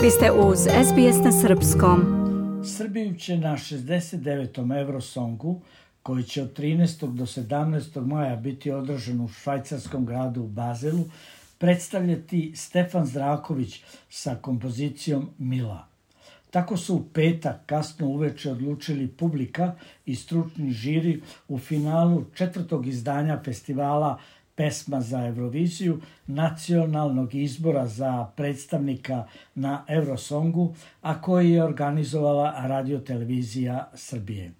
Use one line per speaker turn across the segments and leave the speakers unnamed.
Vi ste uz SBS na srpskom.
Srbiju će na 69. Eurosongu, koji će od 13. do 17. maja biti održan u švajcarskom gradu u Bazelu, predstavljati Stefan Zdravković sa kompozicijom Mila. Tako su u petak kasno uveče odlučili publika i stručni žiri u finalu 4. izdanja festivala Pesma za Euroviziju, nacionalnog izbora za predstavnika na Eurosongu, a koji je organizovala Radio-televizija Srbije.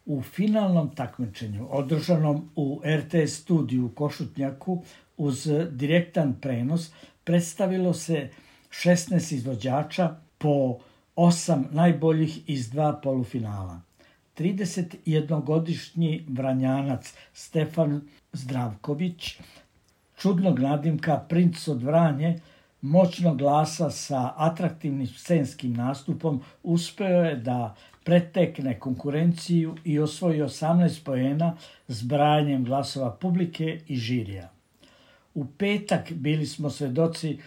U finalnom takmičenju, održanom u RTS studiju u Košutnjaku uz direktan prenos, predstavilo se 16 izvođača po 8 najboljih iz 2 polufinala. 31-godišnji Vranjanac Stefan Zdravković, čudnog nadimka Princ od Vranje, moćnog glasa sa atraktivnim scenskim nastupom, uspeo je da pretekne konkurenciju i osvoji 18 poena zbrajanjem glasova publike i žirija. U petak bili smo svedoci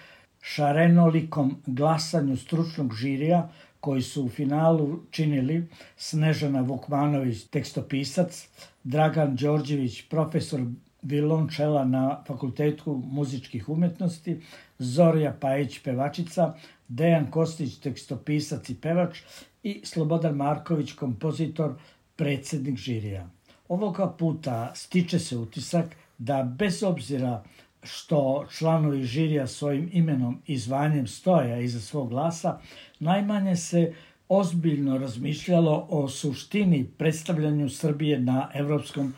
šarenolikom glasanju stručnog žirija, koji su u finalu činili Snežana Vukmanović, tekstopisac, Dragan Đorđević, profesor violončela na Fakultetu muzičkih umetnosti, Zorja Pajić, pevačica, Dejan Kostić, tekstopisac i pevač i Slobodan Marković, kompozitor, predsjednik žirija. Ovoga puta stiče se utisak da bez obzira što članovi žirija svojim imenom i zvanjem stoja iza svog glasa, najmanje se ozbiljno razmišljalo o suštini predstavljanju Srbije na Evropskom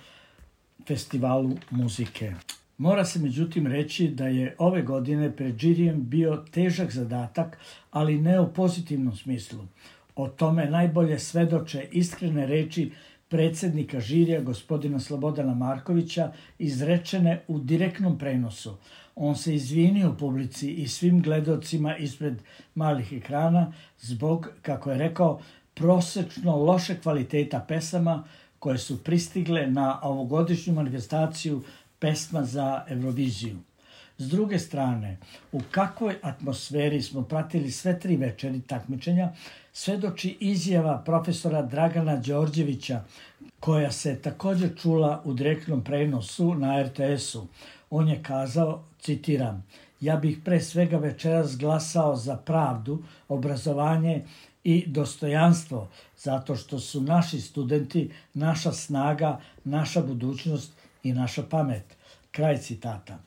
festivalu muzike. Mora se međutim reći da je ove godine pred žirijem bio težak zadatak, ali ne u pozitivnom smislu. O tome najbolje svedoče iskrene reči predsjednika žirija gospodina Slobodana Markovića, izrečene u direktnom prenosu. On se izvinio publici i svim gledocima ispred malih ekrana zbog, kako je rekao, prosečno loše kvaliteta pesama koje su pristigle na ovogodišnju manifestaciju Pesma za Euroviziju. S druge strane, u kakvoj atmosferi smo pratili sve 3 večeri takmičenja, svedoči izjava profesora Dragana Đorđevića, koja se također čula u direktnom prenosu na RTS-u. On je kazao, citiram, ja bih pre svega večeras glasao za pravdu, obrazovanje i dostojanstvo, zato što su naši studenti naša snaga, naša budućnost i naša pamet. Kraj citata.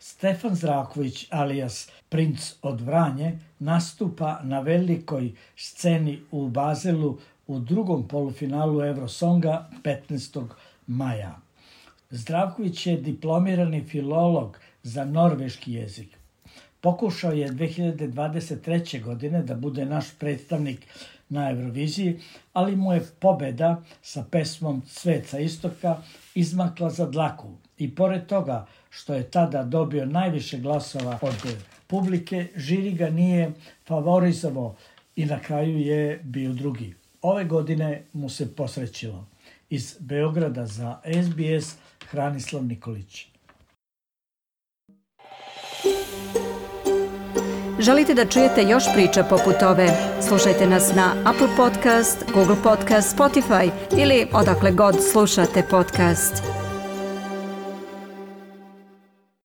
Stefan Zdravković, alias Princ od Vranje, nastupa na velikoj sceni u Bazelu u drugom polufinalu Eurosonga 15. maja. Zdravković je diplomirani filolog za norveški jezik. Pokušao je 2023. godine da bude naš predstavnik na Euroviziji, ali mu je pobeda sa pesmom Svet sa istoka izmakla za dlaku. I pored toga što je tada dobio najviše glasova od publike, žiri ga nije favorizovao i na kraju je bio drugi. Ove godine mu se posrećilo. Iz Beograda za SBS Hranislav Nikolić.
Želite da čujete još priča poput ove? Slušajte nas na Apple Podcast, Google Podcast, Spotify ili odakle god slušate podcast.